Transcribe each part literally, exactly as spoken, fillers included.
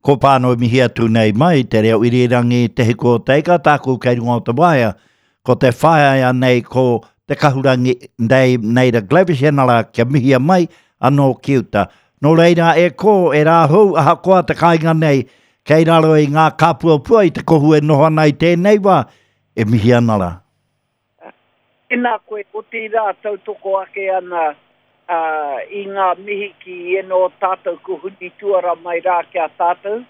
Ko pāno mihi atu nei mai te reo irirangi Te Hiku o Te Ika, tāku kei runga o te waea. Ko te whaea nei ko te kahurangi nei Neida Glavish enara kia mihia mai anō ki uta. Nō reira e ko e rā hou ahakoa te kāinga nei kei raro i ngā kāpuapua i te kohu e noho ana i tēnei wā e mihi ana rā. Tēnā koe, otirā tautoko ake ana uh, i ngā mihi ki eno tātou ko huni tuara mai rā ki a tātou,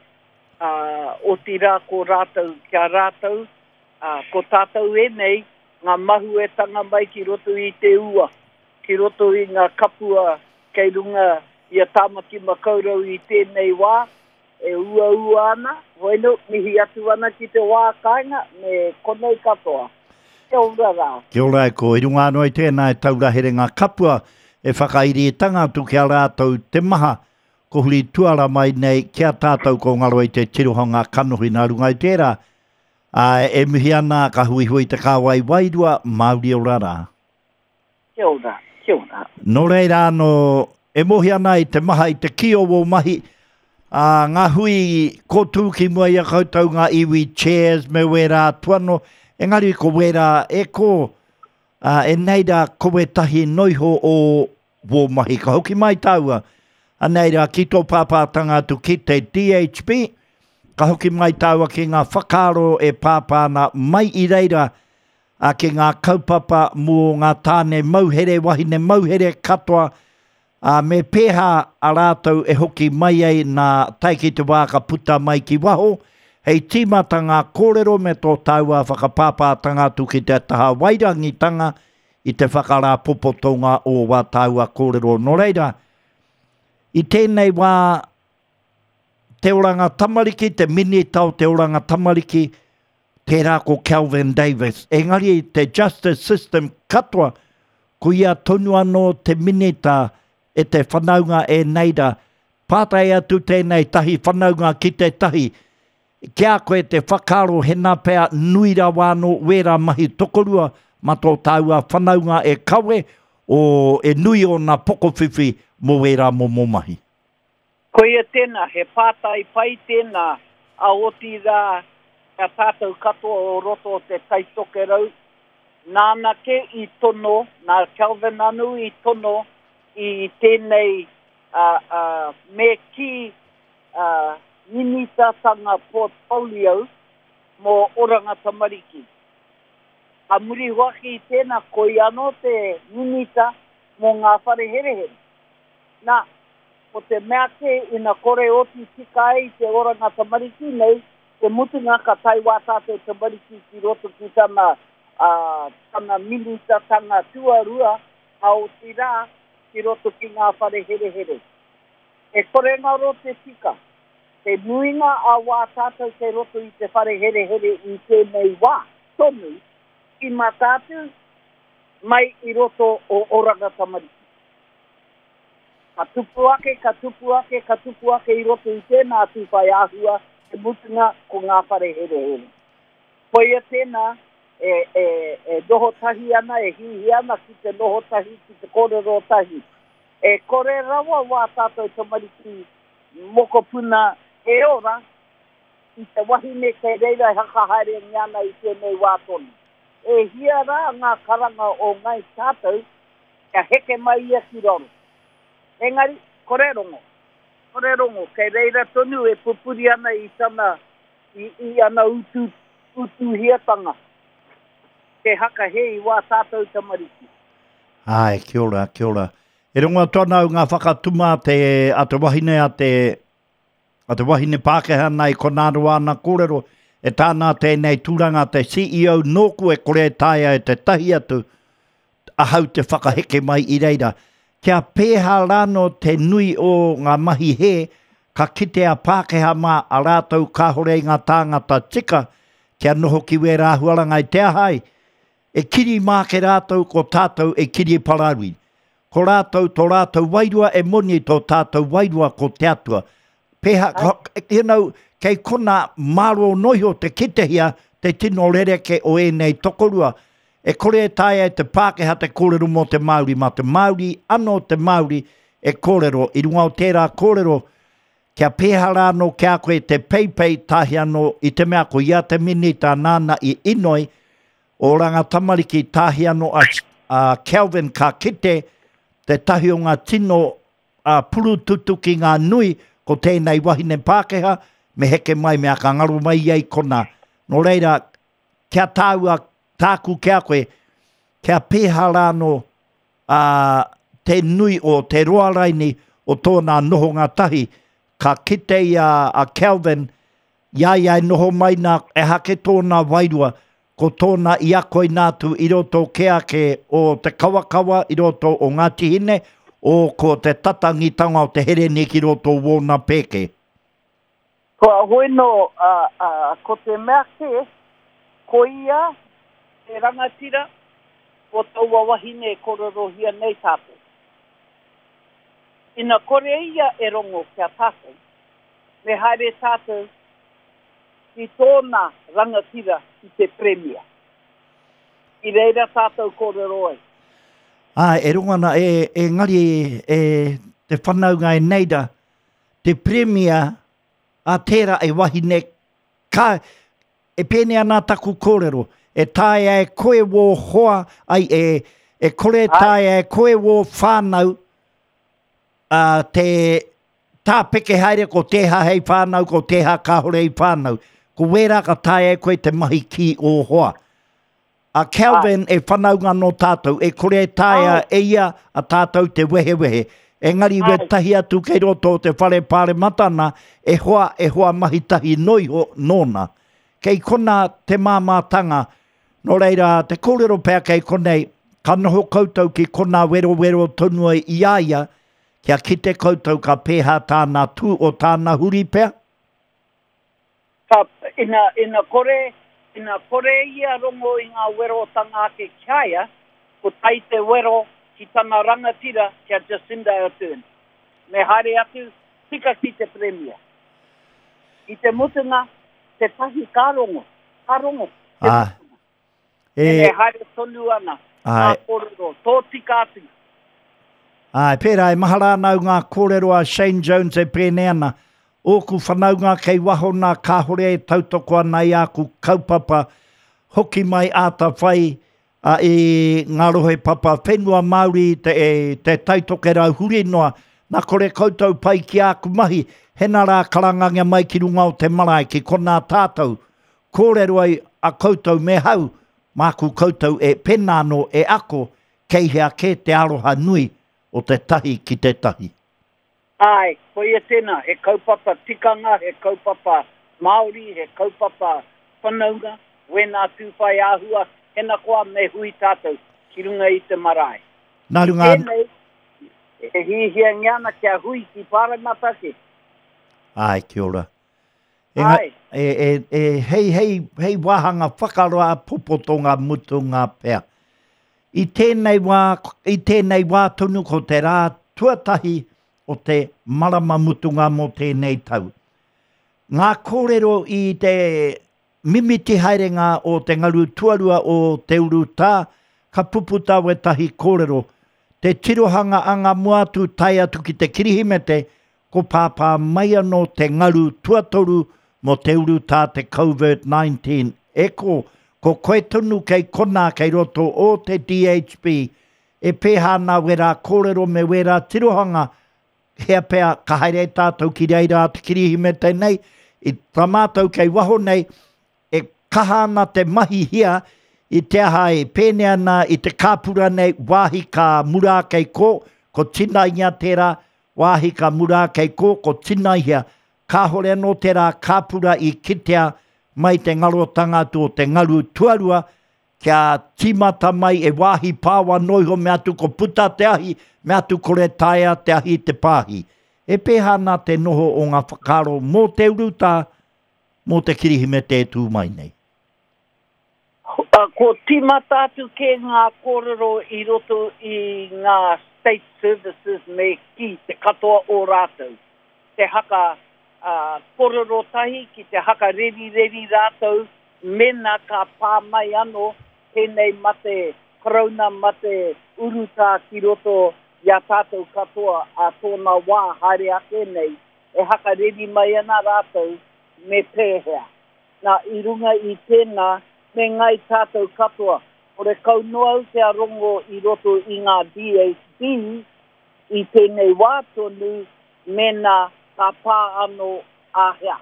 uh, otirā ko rātou ki a rātou, uh, ko tātou e nei, ngā mahuetanga mai ki roto i te ua, ki roto i ngā kapua kei runga i a Tāmaki Makaurau i tēnei wā, e ua ua ana, hoeno, mihi atu ana ki te wā kāinga, me konei katoa. Kia ora rā. Kia ora e ko, i runga anō i tēnā e taura here ngā kapua e whakairitanga atu ki a rātou te maha, ko huri tuara mai nei ki a tātou ko ngaro i te tirohanga kanohi nā runga i tērā. Ā, e mihi ana ka huihui te kāwai wairua, Māori ora rā. Kia ora, kia ora. Nō reira anō, e mohi ana i te maha i te ki o wō mahi, ā, ngā hui kōtū ki mua i a koutou ngā iwi chairs me wērā atu anō, engari ko wērā e ko, ā, e nei rā ko wētahi noiho o wō mahi. Ka hoki mai tāua, anei rā ki tō pāpātanga atu ki te D H B, ka hoki mai tāua ki ngā whakaaro e pāpā ana mai i reira, ā, ki ngā kaupapa mō ngā tāne mauhere, wahine mauhere katoa, ā, me pēhā a rātou e hoki mai ai nā tae ki te wā ka puta mai ki waho, hei tīmata ngā kōrero me tō tāua whakapāpātanga atu ki te taha wairangitanga i te whakarāpopotonga o wā tāua kōrero. Nō reira, i tēnei wā, te oranga tamariki, te minita o te oranga tamariki, tērā ko Kelvin Davis. Engari te justice system katoa, ko ia tonu anō te minita e te whanaunga e neira. Pātai atu tēnei tahi whanaunga ki te tahi, ki a koe te whakaaro hena pea nui rawa anō wērā mahi tokorua ma tō tāua whanaunga e kawe o e nui o nā pokowhiwhi mō wērā momo mahi. Koia tēnā, he pātai pai tēnā a otirā a tātou katoa o roto o te Taitokerau. Nāna ke i tono, nā Kelvin anu i tono i tēnei uh, uh, me ki uh, minitatanga portfolio mō Oranga Tamariki. A muri hoaki i tēnā, koi anō te minita mō ngā whare herehere. Nā, ko te mea ke ina kore oti tika ai te Oranga Tamariki nei, te mutunga ka tae wā tātou tamariki ki roto ki tana, uh, tana minitatanga tuarua, a otirā ki roto ki ngā whare herehere. E kore ngaro te tika, te nuinga a wā tātou kei roto i te whare herehere i tēnei wā tonu, i mātātu mai i roto o Oranga Tamariki. Ka tupu ake, ka tupu ake, ka tupu ake i roto i tēnā tūwhai āhua, te mutunga ko ngā whare herehere. Koia tēnā e, e, e noho tahi ana, e hihi ana ki te noho tahi, ki te kōrero tahi. E kore rawa wā tātou tamariki mokopuna e ora i te wahine kei reira e hakahaere ana i tēnei wā tonu. E hia rā ngā karanga o ngai tātou kia heke mai ia ki raro. Engari, kore rongo. Kore rongo, kei reira tonu e pupuri ana i tana, i, i ana utu, utuhiatanga. Te hakahe i wā tātou tamariki. Ai, kia ora, kia ora. E rongo atu ana au ngā whakatuma te, a te wahine, a te, a te wahine Pākehā nei konā roa ana kōrero, e tāna tēnei tūranga te C E O nōku e kore e taea e te tahi atu ahau te whakaheke mai i reira. Kia pēhā rāno te nui o ngā mahi he, ka kite a Pākehā mā a rātou kāhore i ngā tāngata tika, kia noho ki wērā huaranga i te ahai, e kiri mā ke rātou ko tātou e kiri pararui. Ko rātou tō rātou wairua e moni tō tātou wairua ko te atua. Pēhā, you know, kei kona māro noiho te kitehia te tino rereke o ēnei tokorua. E kore e taea e te Pākehā te kōrero mō te Māori, mā te Māori anō te Māori e kōrero. I runga o tērā kōrero, Kia pēhā rā anō ki a koe te peipei tahi anō i te mea ko ia te minita nāna i inoi, Oranga Tamariki tahi anō a, a Kelvin ka kite te tahi o ngā tino a purututuki ngā nui ko tēnei wahine Pākehā me heke mai mea ka ngaro mai ia i konā. Nō reira, kia tāua tāku ki a koe, kia pēhā rā anō a, te nui o te roa raini o tōna nohonga tahi, ka kite i a, a Kelvin, i a ia e noho mai nā, ehake tōna wairua, ko tōna i ako ina atu i roto kē ake o te kawakawa, i roto o Ngāti Hine, o ko te tatangitanga o te hereni ki roto o wōna pēke. Kua hoi nō, a, a, ko te mea kē, ko ia te rangatira o taua wahine e kōrerohia nei tātou. Ina kore ia e rongo ki a tātou, me haere tātou ki tōna rangatira ki te Premia. I reira tātou kōrero ai. Āe, e rongo ana, e, engari e te whanaunga e nei ra, te Premia a tērā e wahine ka, e pēnei ana taku kōrero, e taea e koe wō hoa, ai, e, e kore taea e koe wō whānau, ā, te tāpeke haere ko tēha hei whānau, ko tēha kāore i whānau. Ko wērā ka taea e koe te mahi ki ō hoa. A Kelvin e whanaunga nō tātou, e kore e taea e ia a tātou te wehewehe. Engari wētahi atu kei roto o te whare pāremata nā, e hoa, e hoa mahi tahi noa iho nōna. Kei konā te māmātanga. Nō reira, te kōrero pea kei konei, ka noho koutou ki konā werowero tonu ai i a ia, kia kite koutou ka pēhā tāna tū o tāna huri pea? Ka, ina, ina kore, ina kore ia rongo i ngā werotanga ake ki a ia, ko tai te wero ki tana rangatira ki a Jacinda Ardern. Me haere atu, tika ki te Premier. I te mutunga, te tahi ka rongo, ka rongo, te Ah. mutunga. E, E haere tonu ana, ngā Āe. kōrero, tōtika atu. Āe, pērā, e mahara ana au ngā kōrero a Shane Jones e pēnei ana, Ōku whanaunga kei waho nā kāhore e tautoko ana i āku kaupapa hoki mai āta whai a, i ngā rohe papa whenua Māori te, e, te Taitokerau huri noa, nā kore koutou pai ki āku mahi, hena rā karangangia mai ki runga o te marae ki konā tātou, kōrero ai a koutou me hau, māku koutou e pēnā anō e ako kei hea kē te aroha nui o te tahi ki te tahi. Āe, koia tēnā, he kaupapa tikanga, he kaupapa Māori, he kaupapa whanaunga, wēnā tūwhai āhua, hena koa me hui tātou ki runga i te marae. Nā runga. Tēnei, e hiahiangia ana kia hui ki Pāremata ke. Āe, kia ora. Enga, Āe. e, e, e, hei, hei, hei wāhanga whakaroa popotonga mutunga pea. I tēnei wā, i tēnei wā tonu ko te rā tuatahi o te marama mutunga mō tēnei tau. Ngā kōrero i te mimiti haerenga o te ngaru tuarua o te urutā, ka puputa wētahi kōrero. Te tirohanga anga mua atu tae atu ki te Kirihimete, ko pāpā mai anō te ngaru tuatoru mō te urutā te Covert nineteen. E ko, ko koe tonu kei konā kei roto o te D H B, e pēhā ana wērā kōrero me wērā tirohanga, hea pea ka haere tātou ki reira a te Kirihimete nei, i tā mātou kei waho nei, e kaha ana te mahi hia i te aha e pēnei ana i te kāpura nei, wāhi ka mura kei kō, ko tinaingia tērā, wāhi ka mura kei kō, ko tinaihia, kāhore anō tērā kāpura i kitea mai te ngarotanga atu o te ngaru tuarua, kia tīmata mai e wāhi pāwa noa iho me atu ko puta te ahi, me atu kore taea te ahi te pāhi. E pēhā ana te noho o ngā whakaaro mō te urutā, mō te Kirihimete e tū mai nei? Ko tīmata atu kē ngā kōrero i roto i ngā state services me kī te katoa o rātou. Te haka kōrero tahi ki te haka rerireri rātou mena ka pā mai anō tēnei mate karauna, mate urutā ki roto i a tātou katoa a tōna wā haere ake nei. e hakareri mai ana rātou me pēhea. Nā, i runga i tēnā, me ngai tātou katoa. Ore kau noa au te rongo i roto i ngā D H B i tēnei wā tonu mena ka pā anō āhea.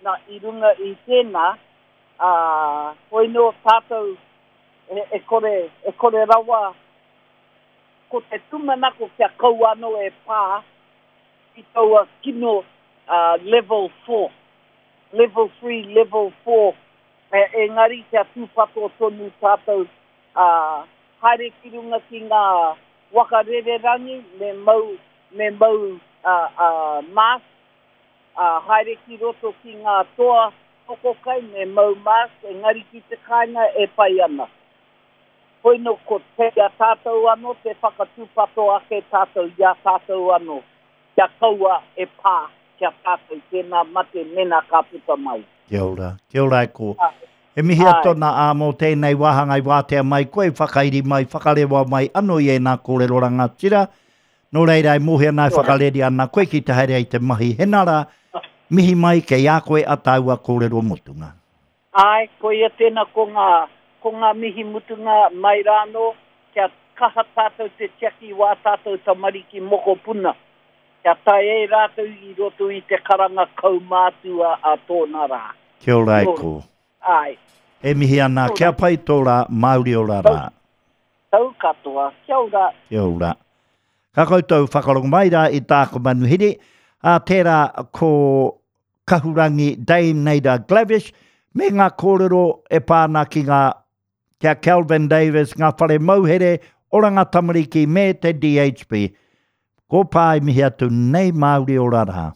Nā, i runga i tēnā, ā, hoi nō tātou e, e, kore, e kore rawa ko te tūmanako kia kau anō e pā i taua kino uh, level four. Level three, level four. E, engari kia tūpato tonu tātou uh, haere ki runga ki ngā waka rererangi me mau, me mau uh, uh, mask, uh, haere ki roto ki ngā toa tokokai me mau mask, engari ki te kāinga e pai ana. Hoi no ko te a tātou anō, te whakatūpato ake tātou i a tātou anō. Kia kaua e pā, kia tātou tēnā mate mena ka puta mai. Kia ora, kia ora e ko. E mihi atu ana ā mō tēnei wāhanga i wātea mai koe, whakairi mai, whakarewa mai anō i ēnā kōrero rangatira. Nō reira e mōhio ana e whakareri ana koe ki te haere ai te mahi hena rā, mihi mai kei a koe a tāua kōrero mutunga. Ai, koia tēnā ko ngā, ko ngā mihi mutunga mai rānō, kia kaha tātou te tiaki wā tātou tamariki mokopuna. Kia tae e rātou i roto i te karanga kaumātua a tōna rā. Kia ora e ko. Ai. E mihi ana, kia pai tō rā, Māori ora rā. Tau katoa, kia ora. Kia ora. Ka koutou whakarongo mai rā i tāku manuhiri, a tērā ko Kahurangi Dame Naida Glavish, me ngā kōrero e pā ana ki ngā kia Kelvin Davis, ngā whare mauhere, Oranga Tamariki me te D H B. Ko pā i mihi atu nei Māori ora rā.